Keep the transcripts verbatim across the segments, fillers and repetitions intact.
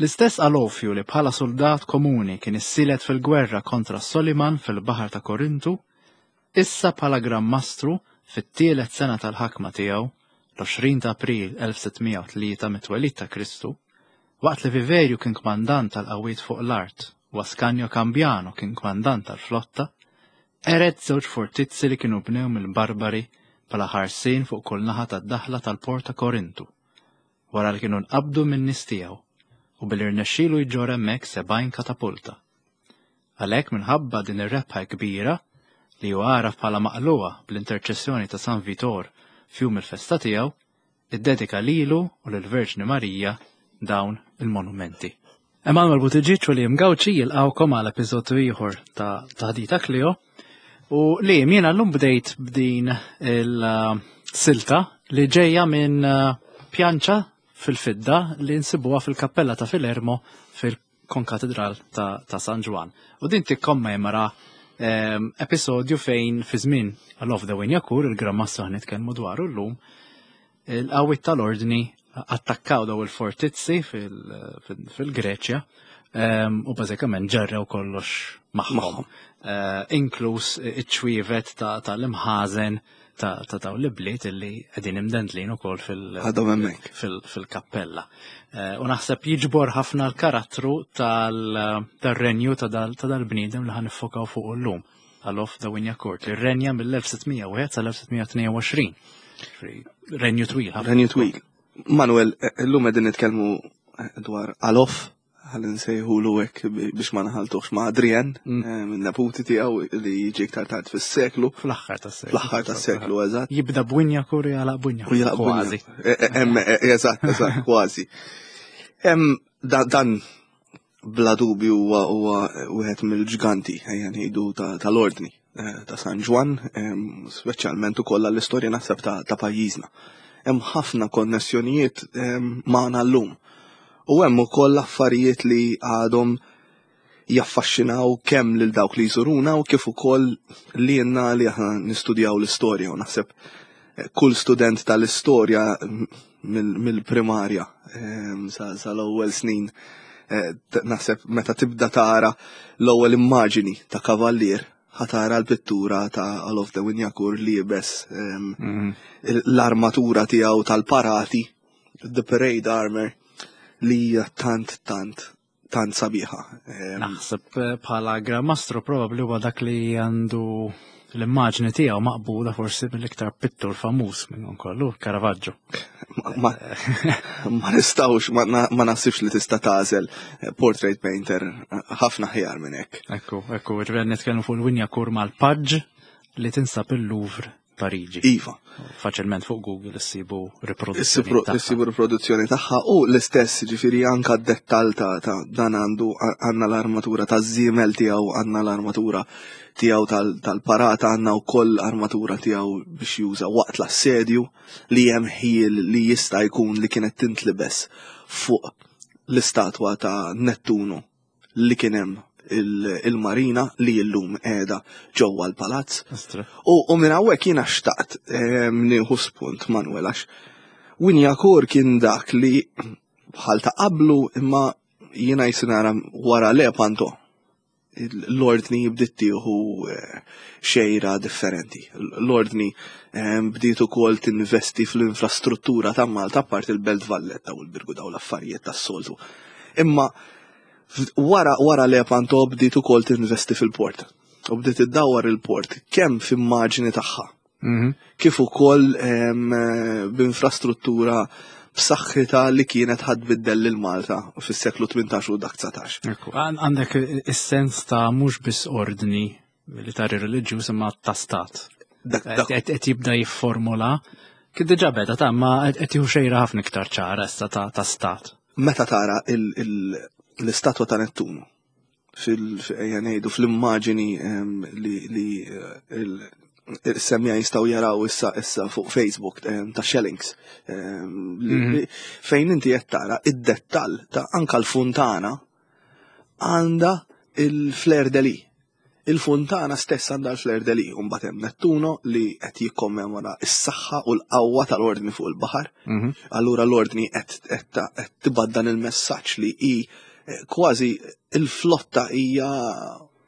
L-istess Alofju li bħala soldat komuni kien issilet fil-gwerra kontra Soliman fil-Baħar ta' Korintu, issa bħala Gran Mastru fit-tielet sena tal-ħakma tiegħu, l-għoxrin ta' April elf sitt mija u tlieta mit-twelid ta' Kristu, waqt li Viverju kien kmandant tal-qawwiet fuq l-art u Ascanio Cambiano kien kmandant tal-flotta, qered żewġ fortizzi li kienu bnew mill-Barbari bħala ħarsien fuq kull naħa tad-daħla tal-Port ta' Korintu, wara li kienu nqabdu minn nies tiegħu u billi rnexxielu jġorr hemmhekk sebgħin katapulta. Għalhekk, minħabba din ir-rebħa kbira li hu għaraf bħala maqluha bl-interċessjoni ta' San Vitor f'jum il-festa tiegħu, iddedika lilu u lill-Verġni Marija dawn il-monumenti. Emanuel Buttigieg u Liam Gauci jilqawkom għal episodju ieħor ta' Taħdita Klio u li jiena llum bdejt b'din il-silta li ġejja minn uh, pjanċa fil-fidda li nsibuha fil-kappella ta' Filermo fil-Konkatedral ta', ta San Ġwann. U din tikkommemora um, episodju fejn fi żmien Alof de Wignacourt, il-Gran Mastru ħa nitkellmu dwaru llum, il-qawwiet tal-ordni attakkaw daw il-fortizzi fil-Greċja um, u bażikament ġarrew kollox magħhom. Uh, inkluż iċ-ċwievet tal-imħażen ta' ta' daw l-bliet illi qegħdin imdendlin ukoll Għadhom hemmhekk. fil-kappella. Eh, U naħseb jiġbor ħafna l-karattru tal-renju ta' dal-bniedem li ħa niffokaw fuq llum. Alof de Wignacourt, li renja mill-elf sitt mija u wieħed sal-elf sitt mija u tnejn u għoxrin. Renju twil. Ħafna. Renju twil. Manuel, illum qegħdin nitkellmu dwar Alof, ħalli nsejħulu hekk biex ma naħaltuhx ma' Adrian, Mm. eh, minn neputi tiegħu li jiġi iktar tard fis-seklu. Fl-aħħar tas-seklu. Fl-aħħar tas-seklu, eżatt. Jibda b'Wignacourt u jagħlaq U b'Wignacourt. jilaq Kważi. Eh, eh, em, eh, Eżatt, eżatt, kważi. Em, da- Dan bla dubju huwa huwa wieħed mill-ġganti, ejja ngħidu, ta- tal-ordni eh, ta' San Ġwann, em, speċjalment ukoll għall-istorja naħseb ta' ta' pajjiżna. Hemm ħafna konnessjonijiet em, magħna llum. U hemm ukoll affarijiet li għadhom jaffaxxinaw kemm lil dawk li jżuruna u kif ukoll li jenna li aħna nistudjaw l-istorja, u naħseb eh, kull student tal-istorja mill- mill-primarja em, sa sal-ewwel snin eh, t- naħseb meta tibda tara l-ewwel immaġini ta' kavallier, ħa tara l-pittura ta' Alof de Wignacourt liebes em, Mhm. l-armatura tiegħu tal-parati, the parade armor, li hija tant tant tant sabiħa. Em, Naħseb eh, bħala Gran Mastru probabli huwa dak li għandu l-immaġni tiegħu maqbuda forsi mill-iktar pittur famuż minn kollu, Caravaggio. ma, ma, ma nistawx, ma, na- ma naħsibx li tista' tagħżel eh, portrait painter eh, ħafna ħjar minn hekk. Ekku, ekku, ġifieri nitkellmu fuq il-Wignacourt mal-Paġġ li tinsab il-Louvre Pariġi. Iva. Faċilment fuq Google issibu riproduzzjoni tagħha. Issibu riproduzzjoni tagħha u l-istess, ġifieri anka d-dettal ta' ta' dan għandu, għandna l-armatura ta' żiemel tiegħu, għandna l-armatura tiegħu tal- tal-parata, għandna wkoll armatura tiegħu biex juża waqt l-assedju, li hemm ħiel li jista' jkun li kienet tintlibes fuq l-istatwa ta' Nettunu li kien hemm il- il-marina li llum qiegħda ġewwa l-palazz. Ostra. U, u minn hawnhekk jiena xtaqt em, nieħu spunt, Manuel, għax Wignacourt kien dak li bħal ta' qablu, imma jiena jisinara wara Lepanto l-ordni bdiet tieħu eh, xejra differenti. L-ordni eh, bdiet ukoll tinvesti fl-infrastruttura ta' Malta, apart il-Belt Valletta u l-Birgu, daw l-affarijiet tas-soltu. Imma wara wara Lepanto bdiet ukoll tinvesti fil-port. U bdiet iddawwar il-port kemm f'immaġni tagħha Mhm. kif ukoll em, eh, b'infrastruttura b'saħħitha li kienet ħa tbiddel lil Malta fis-seklu tmintax u dak dsatax. Ekku, għan- għandek is-sens ta' mhux biss ordni militari reliġjuż imma ta' stat. Dak dak Qed qed jibda jifformula, kien diġà beda ta' ma qed jieħu xejra ħafna iktar ċara issa ta' ta' stat. Meta tara il- il- l-istatwa ta' Nettunu fil ejja ngħidu fl-immaġini em, li li eh, il- il-semmiegħa jistgħu jaraw issa issa fuq Facebook em, ta' Shellings em, li- Mhm. li- fejn inti qed tara id-dettall ta' anka l-funtana għandha il-fleur de lis. Il-funtana stess għandha l-fleur de lis, u mbagħad hemm Nettuno li qed jikkommemora s-saħħa u l-qawwa tal-ordni fuq il-baħar. Mhm. Allura l-ordni qed qed qed tibgħat dan il-messaġġ li hi eh, kważi il-flotta hija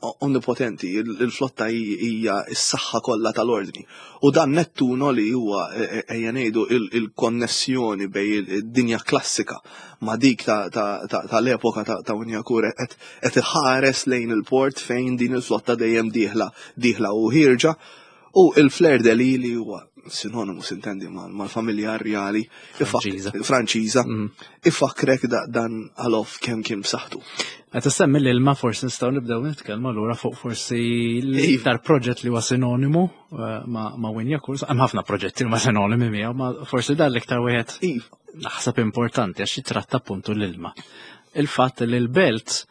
onnipotenti, il-flotta hija s-saħħa kollha tal-ordni. U dan Nettuno li huwa eh, eh, ejja ngħidu il-konnessjoni bejn id-dinja klassika ma' dik tal-epoka ta' Wignacourt qed qed iħares lejn il-port fejn din il-flotta dejjem dieħla dieħla u ħierġa u il-fleur de lis li huwa sinonimu sintendi mal-familja rjali Franċiża. Franċiża Mm. ifakrek dan Alof kemm kien b'saħħtu. Qed issemmi l-ilma forsi nistgħu nibdew nitkellmu allura fuq forsi l-iktar proġett li huwa sinonimu eh, ma' ma' Wignacourt. Hemm ħafna proġetti li huma sinonimi miegħu, ma forsi dan l-iktar wieħed Iva. naħseb importanti għax jitratta appuntu l-ilma. Il-fatt li l-belt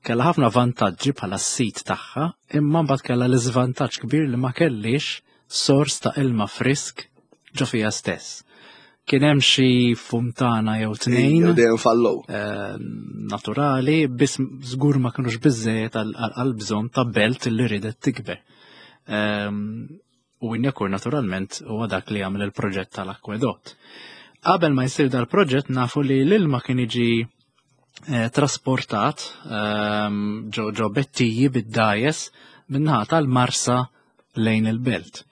kellha ħafna vantaġġi bħala s-sit tagħha, imma mbagħad kellha l-iżvantaġġ kbir li ma kellix sors ta' ilma frisk ġo fiha stess. Kien hemm xi funtana jew tnejn Jew dejjem fallow. eh, naturali, biss żgur ma kinux biżejjed għal bżonn ta' belt li ridet tikber. Ehm, U Wignacourt naturalment huwa dak li għamel il-proġett tal-akwedott. Qabel ma jsir dal-proġett nafu li l-ilma kien jiġi eh, trasportat ehm, ġo ġo bettiji bid-dgħajjes min-naħa tal-Marsa lejn il-belt.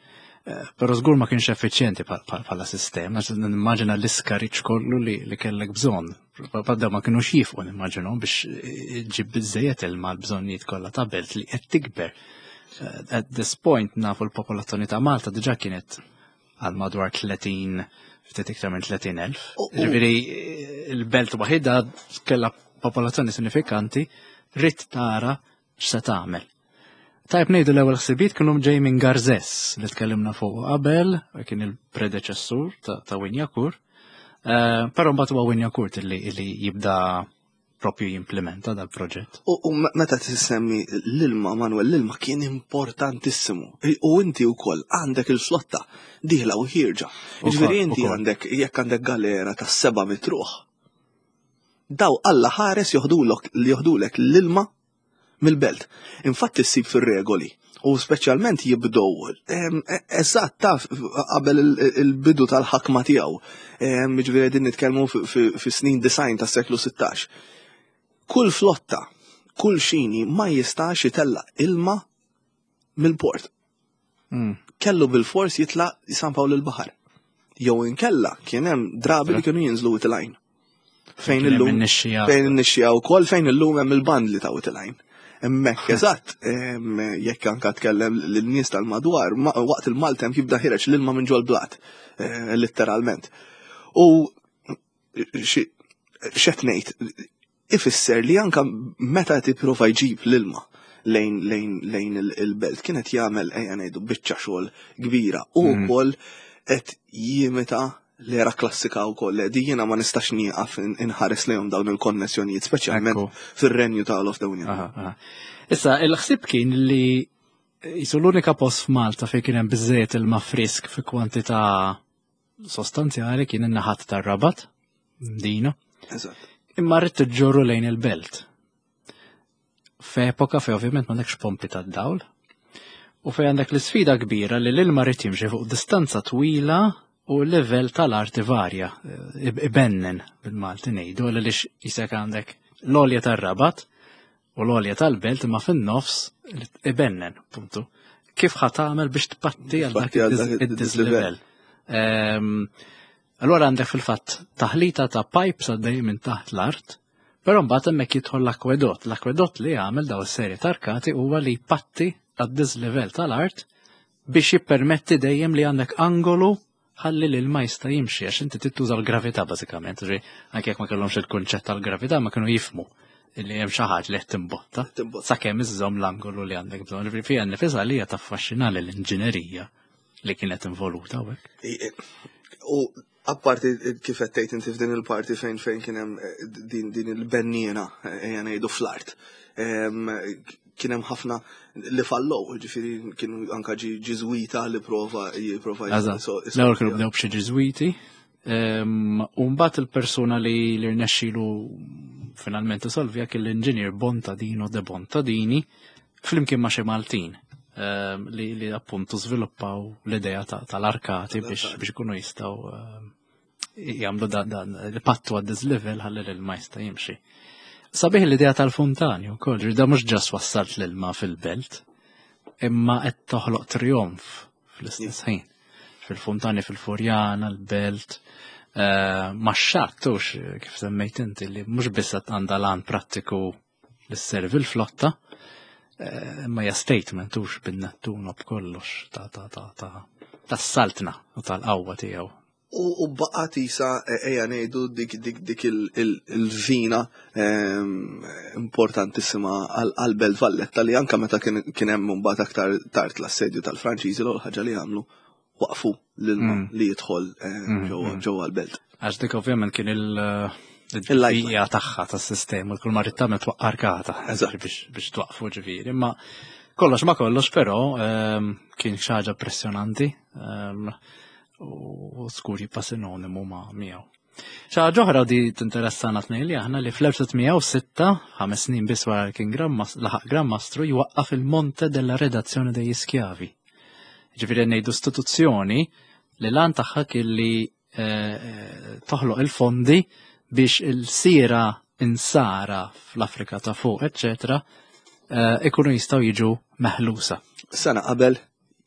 Eh, Però żgur ma kienx effiċjenti bħala sistema, għax nimmaġina l-iskariċ kollu li, li kellek bżonn. Padda ma kienux jifqu nimmaġinu biex ġib biżejjed ilma l-bżonnijiet kollha ta' belt li qed tikber. Eh, At this point nafu l-popolazzjoni ta' Malta diġà kienet għal madwar tletin, ftit iktar minn tletin elf. U- u- Ġifieri il-belt waħidha kellha popolazzjoni sinifikanti, ridt tara x'se tagħmel. Tajb ngħidu l-ewwel ħsibiet kienu ġej minn Garzes li tkellimna fuq qabel, kien il-predeċessur ta', ta Wignacourt. Uh, Però mbagħad huwa Wignacourt illi, illi jibda propju jimplementa dal-proġett. U, u meta tissemmi l-ilma, Manuel, l-ilma kien importantissimu. U inti wkoll għandek il-flotta dieħla u ħierġa. Ġifieri inti għandek, jekk għandek galera ta' seba' mitt ruħ. Daw Alla ħares joħdulok joħdulek l-ilma mill-belt. Infatti ssib fir-regoli u speċjalment jibdow e- eżatt taf qabel il-bidu tal-ħakma tiegħu. Ġifieri din nitkellmu fi snin disgħin tas-seklu sittax. Kull flotta, kull xini ma jistax itella ilma mill-port. Mm. Kellu bil-fors jitla San Pawl il-Baħar. Jew inkella kien hemm drabi li kienu jinżlu Wied il-Għajn. Fejn illum fejn in-nixxija wkoll, fejn illum hemm il-bandli ta' Wied il-Għajn. Hemmhekk eżatt, jekk anka tkellem lin-nies tal-madwar, waqt il-Maltem jibda ħireġ l-ilma minn ġol blat, eh, letteralment. U x'qed ngħid, ifisser li anka meta tipprova jġib l-ilma lejn lejn lejn il-belt kienet jagħmel, ejja ngħidu, biċċa xogħol kbira u mhm. wkoll qed jimita l-era klassika u koll, di jiena ma nistax nieqaf inħares lejhom dawn il-konnessjonijiet, speċjalment fir-renju ta' Olof de Wignacourt. Issa, il-ħsib kien li jisu l-unika post f'Malta fejn kien hemm biżejjed ilma frisk fi kwantità sostanzjali kien in-naħat tar-Rabat, Mdina. Imma rrid tiġġorru lejn il-belt. F'epoka fejn ovvjament m'għandekx pompi tad-dawl, u fejn għandek l-isfida kbira li l-ilma rrid jimxi fuq distanza twila u l-level tal-art varja, ibennen bil-Malti ngħidu, għaliex jisek għandek l-għolja tar-Rabat u l-għolja tal-belt imma fin-nofs ibennen, puntu. Kif ħa tagħmel biex tpatti għal dak id-dislevel? Ehm, allora għandek fil-fatt taħlita ta' pipes għaddej minn taħt l-art, però mbagħad hemmhekk jidħol l-akwedott. L-akwedott li jagħmel daw is-serje tarkati huwa li jpatti għad-dislevel tal-art biex jippermetti dejjem li għandek angolu ħalli l-ilma jista' jimxi, għax inti tittuża l-gravità bażikament, ġi anke jekk ma kellhomx il-kunċett tal-gravità ma kienu jifmu li hemm xi ħaġa li qed timbotta sakemm iżżomm l-angolu li għandek bżonn. Ġifieri fiha nifisha li hija taffaxxina l-inġinerija li kienet involuta hawnhekk. U apparti kif qed tgħid inti f'din il-parti fejn fejn kien hemm eh, din din il-benniena, eh, ejja ngħidu, fl-art. Kien hemm ħafna li fallow, ġifieri kienu anka ġi Ġiżwita li prova jipprova. L-ewwel kienu bdew b'xi Ġiżwiti. U mbagħad il-persuna li li rnexxielu finalment isolvija kien l-inġinier Bontadino de Bontadini. Flimkien ma' xi Maltin ehm, li, li appuntu żviluppaw l-idea tal-arkati biex biex ikunu jistgħu ehm, jagħmlu dan il-pattu għad-dislevel ħalli l-ilma jista' jimxi. Sabiħ l-idea tal-funtani wkoll, da mhux just wassalt l-ilma fil-belt, imma qed toħloq trionf fl-istess ħin. Fil-funtani fil-Furjana, l-belt, eh, ma xattux kif semmejt inti li mhux biss qed għandha lan prattiku li sservi l-flotta, eh, imma hija statement hux bin-Nettuno b'kollox ta' ta' ta' ta' tas-saltna u tal-qawwa tiegħu. U, u baqgħet isa e, ejja ngħidu dik dik dik il-vina ehm, importantissima għal-Belt Valletta li anka meta kien hemm mbagħad aktar tard l-assedju tal-Franċiżi, l ħaġa li għamlu, waqfu l-ilma mm. li jidħol eh, mm, mm. ġewwa l-belt. Għax dik ovvjament kien il- il-lajja tagħha tas-sistema, kull ma trid tagħmel twaqqa arkata biex twaqfu ġifieri. Imma kollox ma kollox però ehm, kien xi ħaġa impressjonanti ehm, u skur jibqa' sinonimu ma' miegħu. Xi ħaġa oħra di tinteressana tnejn li aħna li fl-elf sitt mija u sitta, ħames snin biss wara li kien laħaq Gran Mastru, jwaqqaf il-Monte della Redazione degli Schiavi. Ġifieri ngħidu istituzzjoni li l-għan tagħha kien li eh, eh, toħloq il-fondi biex il-sira insara fl-Afrika ta' fuq, eccetera, eh, ikunu jistgħu jiġu meħlusa. Sena qabel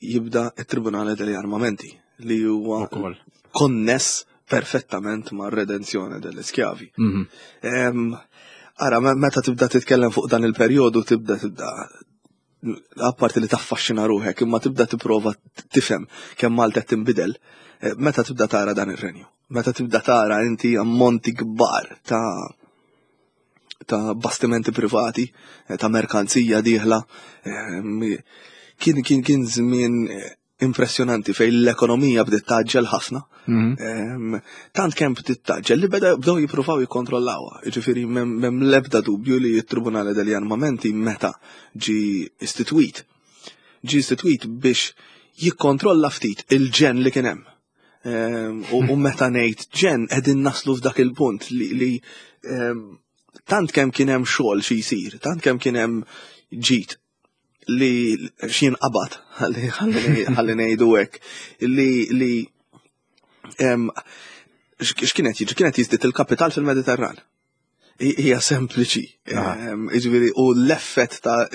jibda il-Tribunale degli Armamenti li huwa Ukoll. konness perfettament ma' redenzjoni delle schiavi. Mhm. Em, Ara, me- meta tibda titkellem fuq dan il-perjodu, tibda tibda apparti li taffaxxina ruħek, imma tibda tipprova tifhem kemm Malta qed tinbidel, eh, meta tibda tara dan ir-renju. Meta tibda tara inti ammonti kbar ta' ta' bastimenti privati, eh, ta' merkanzija dieħla. em, Kien kien kien żmien eh, impressjonanti fejn l-ekonomija bdiet tgħaġġel ħafna. Mhm. Em, Tant kemm bdiet tgħaġġel li beda bdew jippruvaw jikkontrollawha. Jiġifieri m'hemm l-ebda dubju li t-Tribunale degli Armamenti meta ġi istitwit, ġi istitwit biex jikkontrolla ftit il-ġenn li kien hemm. Em, U u meta ngħid ġenn, qegħdin naslu f'dak il-punt li, li em, tant kemm kien hemm xogħol xi jsir, tant kemm kien hemm ġid li x'jien qabad, ħalli ħalli ngħidu hekk, li li em, x'kienet jiġri? Kienet jiżdied il-kapital fil-Mediterran. Hi- Hija sempliċi. Aha. Em, Jiġifieri u l-effett ta'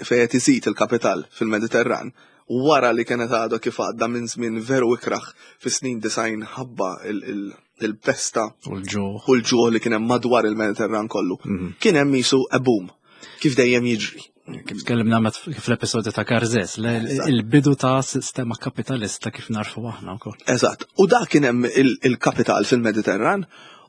fejn qed iżid il-kapital fil-Mediterran wara li kienet għadha kif għadda minn żmien veru ikraħ fis-snin disgħin ħabba il- il- il-pesta U l-ġuħ. u l-ġuħ li kien hemm madwar il-Mediterran kollu. Mhm. Kien hemm jisu a boom, kif dejjem jiġri. Kif tkellimna met fl-episodju ta' Karzes, Eżatt. il-bidu ta' sistema kapitalista kif narfu aħna wkoll. Eżatt. U dak kien hemm il- il-kapital fil-Mediterran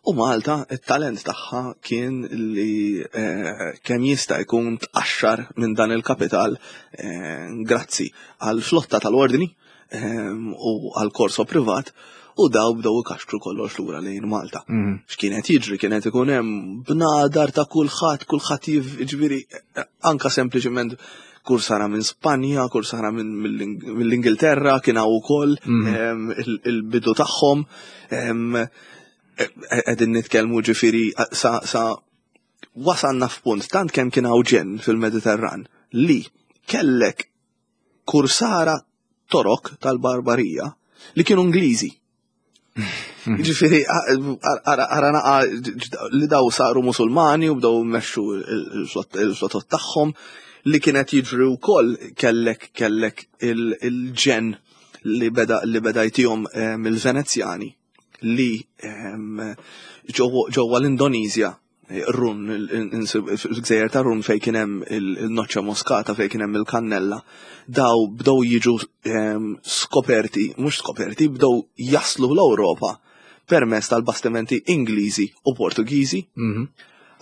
u Malta it-talent tagħha kien li eh, kemm jista' jkun tqaxxar minn dan il-kapital eh, grazzi għal flotta tal-ordni eh, u għal korso privat, u daw bdew ikaxkru kollox lura lejn Malta. Mhm. X'kienet jiġri? Kienet ikun hemm bnadar ta' kulħadd, kulħadd jiġifieri anka sempliċement kursara minn Spanja, kursara minn mill-Ingilterra, kien hawn ukoll Mhm. em, il- il-bidu tagħhom. em, e- Qegħdin nitkellmu ġifieri sa sa wasalna f'punt tant kemm kien hawn ġenn fil-Mediterran li kellek kursara Torok tal-Barbarija li kienu Ingliżi. Ġifieri, ara naqa li daw saru Musulmani u bdew mmexxu il-flotot tagħhom. Li kienet jiġri wkoll, kellek kellek il-ġenn li beda li beda jtihom mill-Venezjani li ġewwa l-Indonezja, Run, il-gżejjer ta' Run fej kien hemm il-noċċa moskata, fejn kien hemm il-kannella, daw bdew jiġu skoperti, mhux skoperti, bdew jaslu l-Ewropa permezz tal-bastimenti Ingliżi u Portugiżi. Mhm.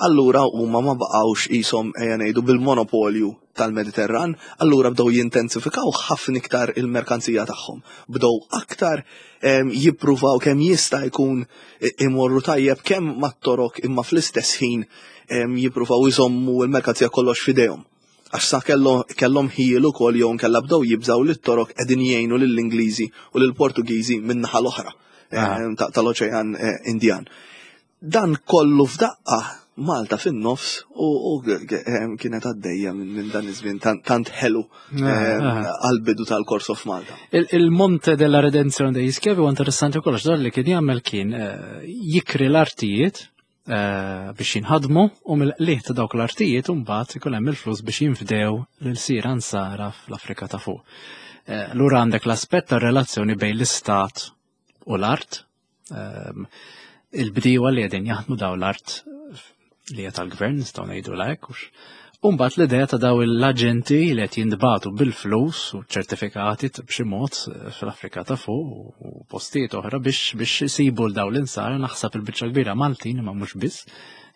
Allura huma ma baqgħux qishom, ejja ngħidu, bil-monopolju tal-Mediterran, allura bdew jintensifikaw ħafna iktar il-merkanzija tagħhom. Bdew aktar jippruvaw kemm jista' jkun imorru tajjeb kemm mat-Torok, imma fl-istess ħin jippruvaw iżommu l-merkanzija kollox f'idejhom. Għax sa kellhom ħiel ukoll jew nkella bdew jibżaw lit-Torok qegħdin jgħinu lill-Ingliżi u lill-Portugiżi min-naħa l-oħra tal-Oċean eh, Indjan. Dan kollu f'daqqa Malta fin-nofs u kienet għaddejja minn dan iż-żmien tant ħelu għal-bidu tal-Corso f'Malta. Il-Monte della Redenzione degli Schiavi huwa interessanti wkoll għax li kien jagħmel kien jikri l-artijiet biex jinħadmu u mill-qligħ ta' dawk l-artijiet u mbagħad ikun hemm il-flus biex jinfdew lil sira nsara fl-Afrika ta' fuq. Lura għandek l-aspett tar-relazzjoni bejn l-istat u l-art, il-bdiewa li qegħdin jaħdmu daw l-art li hija tal-gvern nistgħu ngħidu hekk hux. U mbagħad l-idea ta' daw l-aġenti li qed jintbagħtu bil-flus u ċertifikati b'xi mod fl-Afrika ta' fuq u postijiet oħra biex biex isibu l daw l-insara, naħseb il-biċċa kbira Maltin imma mhux biss,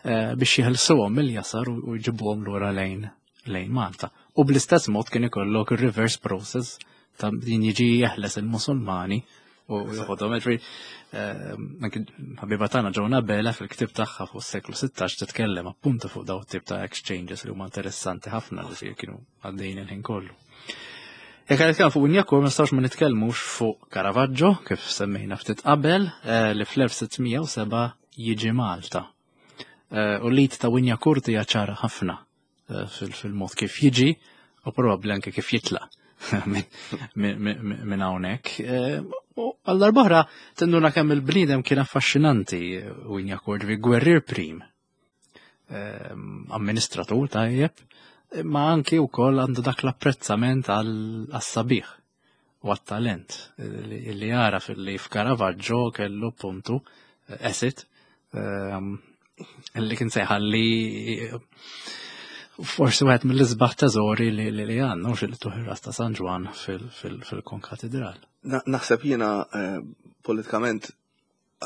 biex jeħilsuhom mill-jasar u jġibuhom lura lejn lejn Malta. U bl-istess mod kien ikollok il-reverse process ta' din jiġi jeħles il-Musulmani u joħodhom. Ħabiba tagħna Joan Abela fil-ktib tagħha fuq is-seklu sittax titkellem appuntu fuq daw tip ta' exchanges li huma interessanti ħafna li kienu għaddejjin il-ħin kollu. Jekk nitkellmu fuq Wignacourt ma nistgħux ma nitkellmux fuq Caravaggio, kif semmejna ftit qabel, li fl-elf sitt mija u seba' jiġi Malta. U l-id ta' Wignacourt hija ċara ħafna fil-mod kif jiġi u probabbli anke kif jitlaq minn hawnhekk. U għal darb'oħra tinduna kemm il-bniedem kien affaxxinanti Wignacourt, vi gwerrier prim, amministratur tajjeb, ma anki wkoll għandu dak l-apprezzament għas-sabiħ u għat-talent li jara fil-li f'Caravaggio kellu puntu asset li kien sejħalli forsi wieħed mill-isbaħ teżori li li għandna mhux li tuħ ta' San Ġwann fil-Konkatedral. Naħseb jiena eh, politikament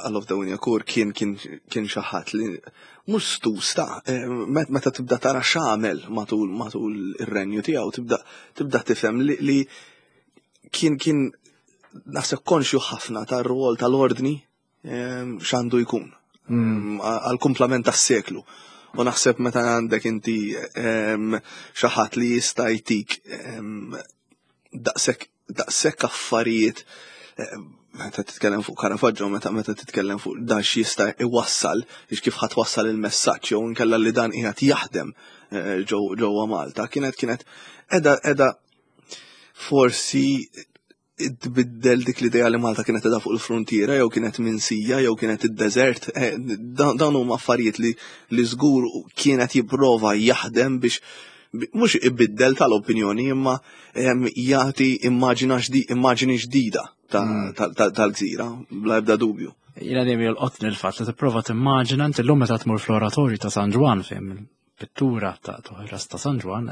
Alof de Wignacourt kien kien kien xi ħadd li mhux stusta, eh, meta tibda tara x'għamel matul matul ir-renju tiegħu, tibda tibda tifhem li, li kien kien naħseb konxju ħafna tar-rwol tal-ordni eh, x'għandu jkun mm. għal-kumplament tas-seklu. U naħseb meta għandek inti xi ħadd li jista' jtik daqshekk daqshekk affarijiet, meta titkellem fuq Caravaggio, meta meta titkellem fuq dan x'jista' iwassal, biex kif ħadd wassal il-messaġġ jew inkella li dan qiegħed jaħdem eh, ġewwa Malta, kienet kienet edha edha forsi tbiddel dik l-idea li Malta kienet edha fuq il-frontiera jew kienet minsija jew kienet id-desert. Eh, dawn huma affarijiet li li żgur kienet jipprova jaħdem biex mhux ibiddel tal-opinjoni imma jagħti immaġini ġdida mm. tal-gżira, bla ebda dubju. Jiena dejjem jolqotni l-fatt li tipprova timmaġina inti llum meta tmur fl-oratorju ta' San Ġwann fejn pittura ta' Toħras ta' San Ġwann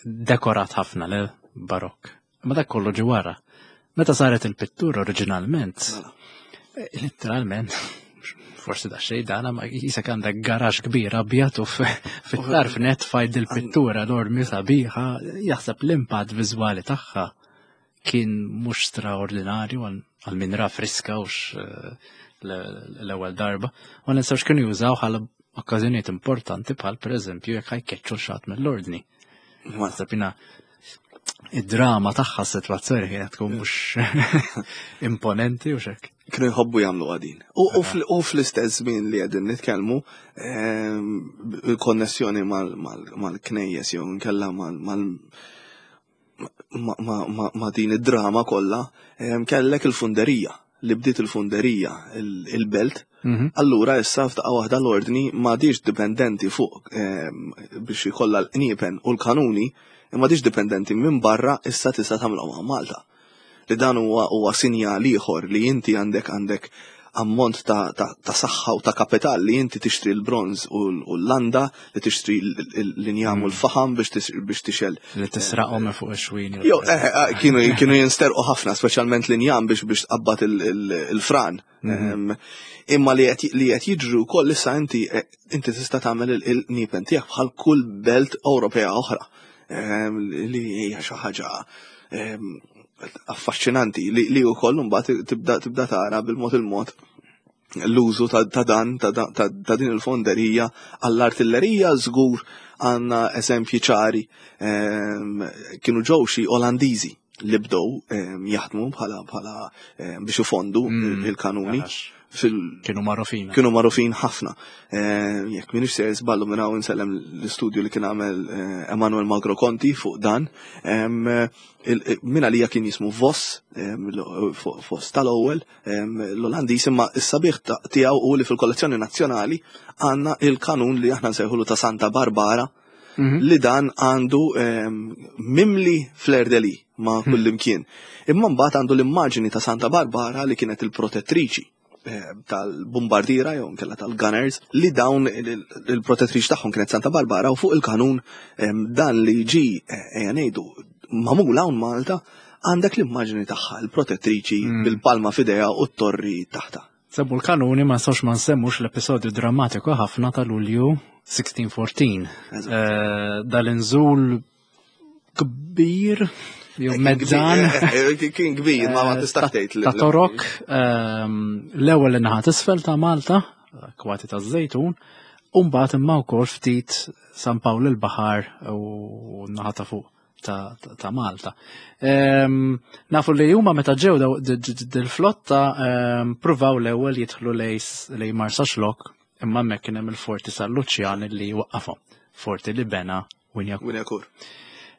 dekorat ħafna le barokk. Ma dak kollu ġi wara. Meta saret il-pittura oriġinalment, mela. Letteralment, forsi da xej dana, ma jisek għandek garax kbir abjad u fit-tarf net fajt il-pittura enormi sabiħa, jaħseb l-impatt viżwali tagħha kien mhux straordinarju għal min ra friska u eh, l-ewwel darba. Ma ninsawx kienu jużaw għal okkażjonijiet importanti bħal pereżempju jekk ħa jkeċċu xi ħadd mill-ordni. Ma jiena id-drama tagħha s-sitwazzjoni kienet tkun mhux imponenti u xek. Kienu jħobbu jagħmlu għadin. U fl-istess żmien li qegħdin nitkellmu, ehm, il-konnessjoni mal-knejjes jew nkella mal ma' din id-drama kollha, ehm, kellek il-funderija li bdiet il-funderija il-belt. Mhm. Allura issa f'daqqa waħda l-ordni m'għadix dipendenti fuq ehm, biex ikollha l-qniepen u l-kanuni, imma m'għadix dipendenti minn barra, issa tista' tagħmilhom Malta. Li dan huwa huwa sinjal ieħor li inti għandek għandek ammont ta', ta, ta saħħa u ta' kapital li inti tixtri l-bronz u l-landa, li tixtri l-injam u l-faħam biex biex tixgħel. Li tisraqhom minn fuq ix-xwini. Jo, eh, eh, kienu kienu jinsterqu ħafna, speċjalment l-injam biex biex tqabbad il-fran. Mhm. Imma li qed jiġru wkoll issa inti eh, inti tista' tagħmel il-qniepen tiegħek bħal kull belt Ewropea oħra. Li hija xi ħaġa affaxxinanti li li wkoll mbagħad tibda tibda tara bil-mod il-mod l-użu ta' dan ta' din il-fonderija għall-artillerija. Żgur għandna eżempji ċari, kienu ġew xi Olandiżi. li bdew em, jaħdmu bħala bħala em, biex ifondu Mm. il-kanuni Għax fil kienu magħrufin. Kienu magħrufin ħafna. Eh, Jekk minix ser żballu, minn hawn insellem l-istudju li kien għamel eh, Emanuel Magro Conti fuq dan. Em, eh, il- il- Min għalija kien jismu Voss, em, l- Vo- Voss tal-ewwel, em, l-Olandiż, imma s-sabiħ ta- tiegħu u li fil-kollezzjoni nazzjonali għandna il-kanun li aħna nsejħulu ta' Santa Barbara, Mhm. li dan għandu em, mimli fleur de lis ma' kullimkien. Imma mbagħad għandu l-immaġini ta' Santa Barbara li kienet il-protettriċi eh, tal-bombardira jew nkella tal-gunners, li dawn il- il-protettriċi tagħhom kienet Santa Barbara, u fuq il-kanun em, dan li ġi eh, ejja ngħidu magħmul hawn Malta għandek l-immaġini tagħha, il-protettriċi, Mm. bil-palma f'idejha u t-torri taħta. Semmu l-kanuni, ma nistgħux ma nsemmux l-episodju drammatiku ħafna ta' Lulju sittax tnax. Eżatt. Eh, Dal-inżul kbir, jew mezzan. Eh, eh, Kien kbir, ma ma tistax ta' tgħid li- ta' Torok, ehm, l-ewwel in-naħa t'isfel ta' Malta, kwati ta' Żejtun, u mbagħad imma wkoll ftit San Pawl il-Baħar u naħa ta' fuq ta', ta, ta' Malta. Ehm, nafu li huma meta ġew daw- d- d- dil-flotta ehm, pruvaw l-ewwel jidħlu lej lej Marsaxlokk, imma hemmhekk kien hemm il-forti San Luċjan li waqqafhom. Forti li bena Wignacourt. Wignacourt.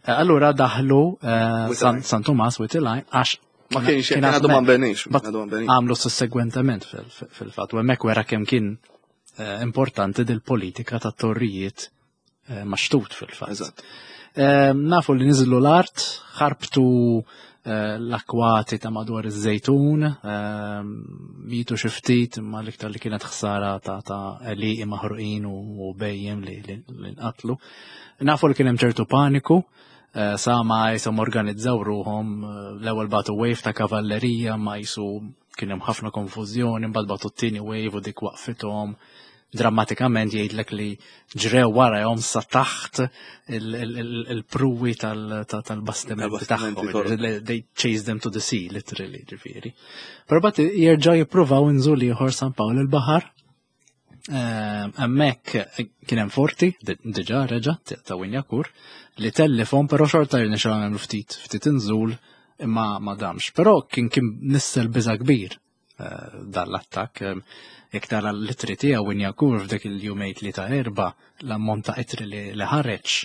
Eh, Allura daħlu eh, Wied San, il-Għajn. San Tumas, Wied il-Għajn, għax Ma kienx kien għadu ma nbenix. But Għadu ma nbenix. għamlu sussegwentement fil- fil-fatt. U hemmhekk wera kemm kien eh, importanti dil-politika ta' torrijiet eh, maxtut fil-fatt. Eżatt. Eh, Nafu li niżlu l-art, ħarbtu eh, l-akwati ta' madwar iż-Żejtun, eh, mitu xi ftit, imma l-iktar li kienet ħsara ta' ta' għelieqi maħruqin u u bhejjem li li li nqatlu. Nafu li kien hemm ċertu paniku, eh, sa ma jisom organizzaw ruhom, eh, l-ewwel bagħtu wave ta' kavallerija, ma jisu kien hemm ħafna konfużjoni, mbagħad bagħtu t-tieni wave u dik waqfithom. Drammatikament jgħidlek li ġrew warahom sa taħt il- il- il- il-pruwi tal- ta- tal-bastimenti Tal-bastimenti tagħhom. torok. They chased them to the sea, literally, ġifieri. Però bat jerġgħu jippruvaw inżul ieħor San Pawl il-Baħar. Ehm, Hemmhekk kien hemm forti, di- diġà reġa' ta' Wignacourt, li tellifhom, però xorta jirnexxilhom jagħmlu ftit ftit inżul, imma ma damx. Però kien kien nissel biża kbir eh, dan l-attakk. Ehm, Jekk tara l-ittri tiegħu Wignacourt f'dik il-jumejn li ta' erba, l-ammont ta' ittri li li ħareġ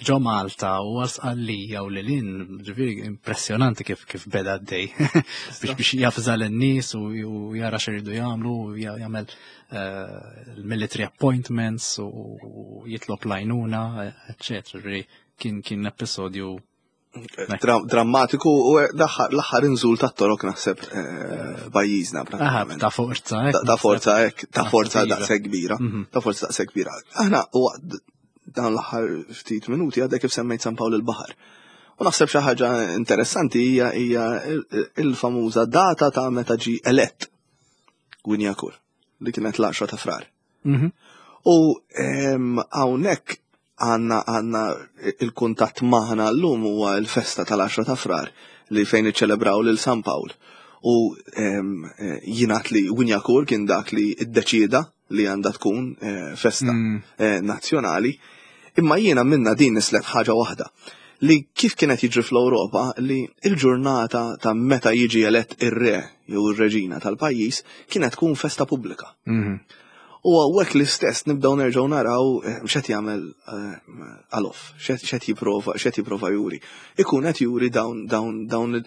ġo Malta u għal Sqallija u lilin, ġifieri impressjonanti kif kif beda d-dej biex biex jafża l-nies u u jara x'iridu jagħmlu u ja- jagħmel eh, il-military appointments u u jitlob l-għajnuna, eccetera. Ġifieri kien kien episodju Dra- Drammatiku u l-aħħar l-aħħar inżul ta' Torok naħseb eh, f'pajjiżna Aha, pratikament. ta' forza, hekk, Ta' ta' forza hekk, ta' Naħseb forza iva. daqshekk kbira. Mhm. Ta' forza daqshekk kbira. Aħna u dan l-aħħar ftit minuti għadek kif semmejt San Pawl il-Baħar. U naħseb xi ħaġa interessanti hija hija il- il-famuża data ta' meta ġi elett Wignacourt, li kienet l-għaxra ta' Frar. Mhm. U em, hawnhekk għandna għandna il-kuntatt magħna llum huwa l-festa tal-għaxra ta' Frar li fejn iċċelebraw lil San Pawl. U em, eh, jingħad li Wignacourt kien dak li iddeċieda li għandha tkun eh, festa Mm. eh, nazzjonali. Imma jiena minna din nislet ħaġa waħda, li kif kienet jiġri fl-Ewropa li il-ġurnata ta' meta jiġi elett ir-re jew ir-reġina tal-pajjiż kienet tkun festa pubblika. Mhm. U għawek l-istess nibdaw nerġaw naraw eh, x'qed jagħmel eh, Alof, x'qed jipprova, x'qed jipprova juri. Ikun qed juri dawn dawn dawn il-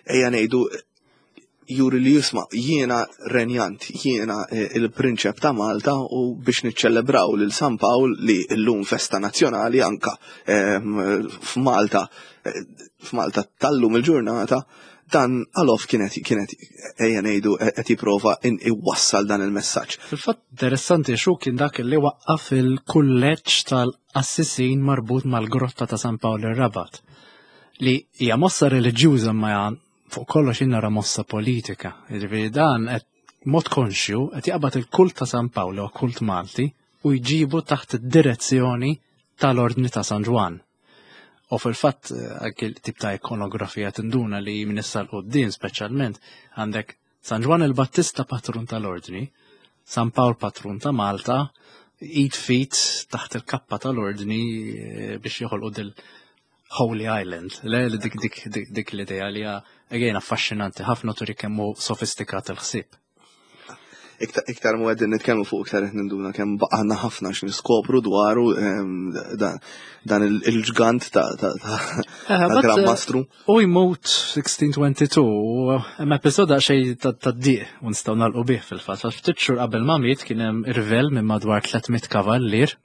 ejja ngħidu juri li jisma' jiena renjant, jiena eh, il-prinċep ta' Malta, u biex niċċelebraw lil San Pawl li llum festa nazzjonali anka eh, f'Malta eh, f'Malta tal-lum il-ġurnata, dan Alof kienet kienet ejja ngħidu qed jipprova in- iwassal dan il-messaġġ. Fil-fatt interessanti xu kien dak li waqqaf il-kulleġġ tal-qassisin marbut mal-grotta ta' San Pawl ir-Rabat. Li hija mossa reliġjuża, ma hija fuq kollox nara mossa politika. Jiġifieri dan qed mod konxju qed jaqbad il-kult ta' San Pawl u kult Malti u jġibu taħt id-direzzjoni tal-Ordni ta' San Ġwann. U fil-fatt eh, anke tip ta' ikonografija tinduna li minn issa 'l quddiem speċjalment għandek San Ġwann il-Battista patrun tal-Ordni, San Pawl patrun ta' Malta, id fit taħt il-kappa tal-Ordni eh, biex joħolqu dil Holy Island. Le, li dik dik dik dik l-idea li hija again affaxxinanti ħafna, turi kemm hu sofistikat il-ħsieb. Iktar iktar mu qegħdin nitkellmu fuq, iktar qed ninduna kemm baqgħna ħafna x'niskopru dwaru em, dan dan il- il-ġgant ta' ta' ta' Eh, ta' but, Gran eh, Mastru. U jmut sittax tnejn tnejn u hemm episod xej ta' diq u nistgħu nagħlqu bih fil-fatt. Għax ftit xhur qabel ma miet kien hemm irvel minn madwar tliet mitt kavallier.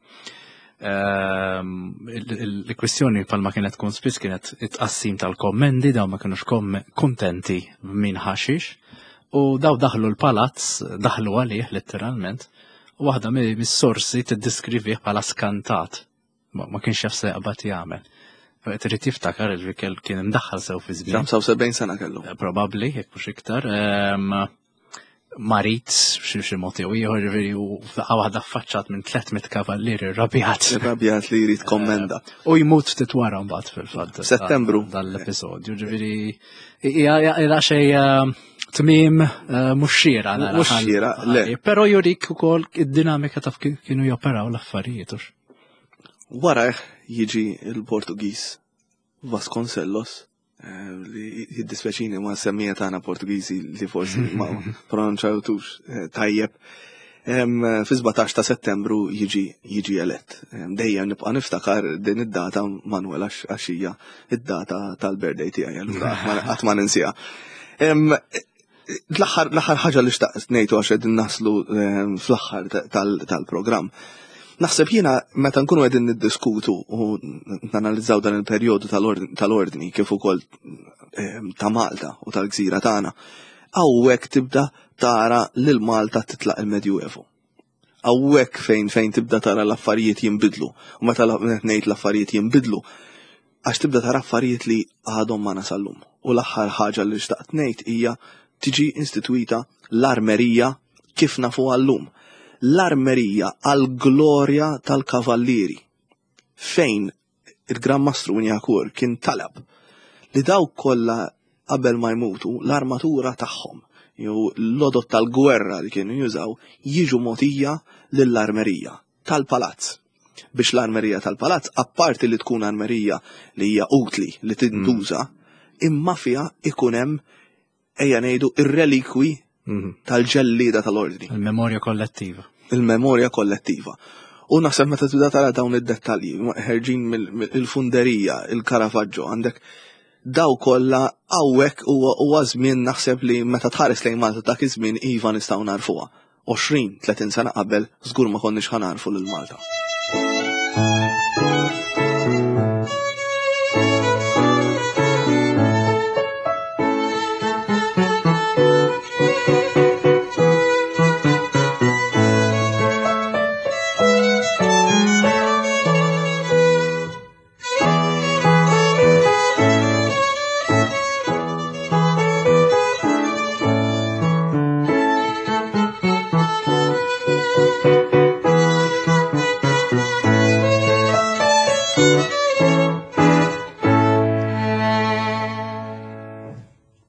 Ehm, il- il- Il-kwistjoni palma kienet tkun spiss kienet it-tqassim tal-kommendi, daw ma kienux komme- kontenti minn ħaxix. U daw daħlu l-palazz, daħlu għalih letteralment, u waħda mi- mis-sorsi tiddiskrivih bħala skantat. Ma ma kienx jaf se jaqbad jagħmel. Trid tiftakar il kien imdaħħal sew fi żmien. ħamsa u sebgħin sena kellu. Probabbli, jekk mhux iktar. Ehm, Marit, xi xi mod jew ieħor, ġifieri, u f'daqqa waħda affaċċat minn tliet mitt kavallier irrabjat. Irrabjat li jrid kommenda. U jmut ftit wara mbagħad fil-fatt. Settembru. Dal-episodju, ġifieri hija hija xej ehm, tmiem eh, mhux xieraq nara. Mhux xieraq, le. Però jurik ukoll id-dinamika taf kif kienu joperaw l-affarijiet. Hux. Wara jiġi il-Portugiż Vasconcelos, eh, li jiddispjaċini ma semmija tagħna Portugiżi li forsi ma pronunċajtux eh, tajjeb. Em, Fi sbatax ta' Settembru jiġi jiġi elett. Em, Dejjem nibqa' niftakar din id-data, Manuel, għax għax hija id-data tal-birthday tiegħi, allura qatt ma- qatt ma ninsieha. Em, L-aħħar l-aħħar ħaġa li xtaqt ngħidu, għax qegħdin naslu em, fl-aħħar tal- tal-programm. Naħseb jiena meta nkunu qegħdin niddiskutu u nanalizzaw dan il-perjodu tal-ordni tal-ordni kif ukoll em, ta' Malta u tal-gżira tagħna, hawnhekk tibda tara lil Malta titlaq il-Medjuevo. Hawnhekk fejn fejn tibda tara l-affarijiet jinbidlu. U meta la- ngħid l-affarijiet jinbidlu, għax tibda tara affarijiet li għadhom ma nasallum. U l-aħħar ħaġa li xtaqt ngħid hija tiġi instituita l-armerija kif nafu għallum. L-armerija għal-glorja tal-kavallieri. Fejn il-Gran Mastru Wignacourt kien talab li dawk kollha qabel ma jmutu l-armatura tagħhom jew l-għodod tal-gwerra li kienu jużaw jiġu mogħtija lill-armerija tal-palazz, biex l-armerija tal-palazz, apparti li tkun armerija li hija utli li tintuża, imma fiha ikun hemm, ejja ngħidu, ir-relikwi tal-ġellida tal-ordni. Il-memorja kollettiva. Il-memorja kollettiva. U naħseb meta tibda tara dawn id-dettalji, ħerġin mill-funderija, il-Caravaggio, għandek daw kollha hawnhekk, huwa huwa żmien naħseb li meta tħares lejn Malta dak iż-żmien, iva, nistgħu narfuha. għoxrin, tletin sena qabel żgur ma konniex ħa narfu lil Malta.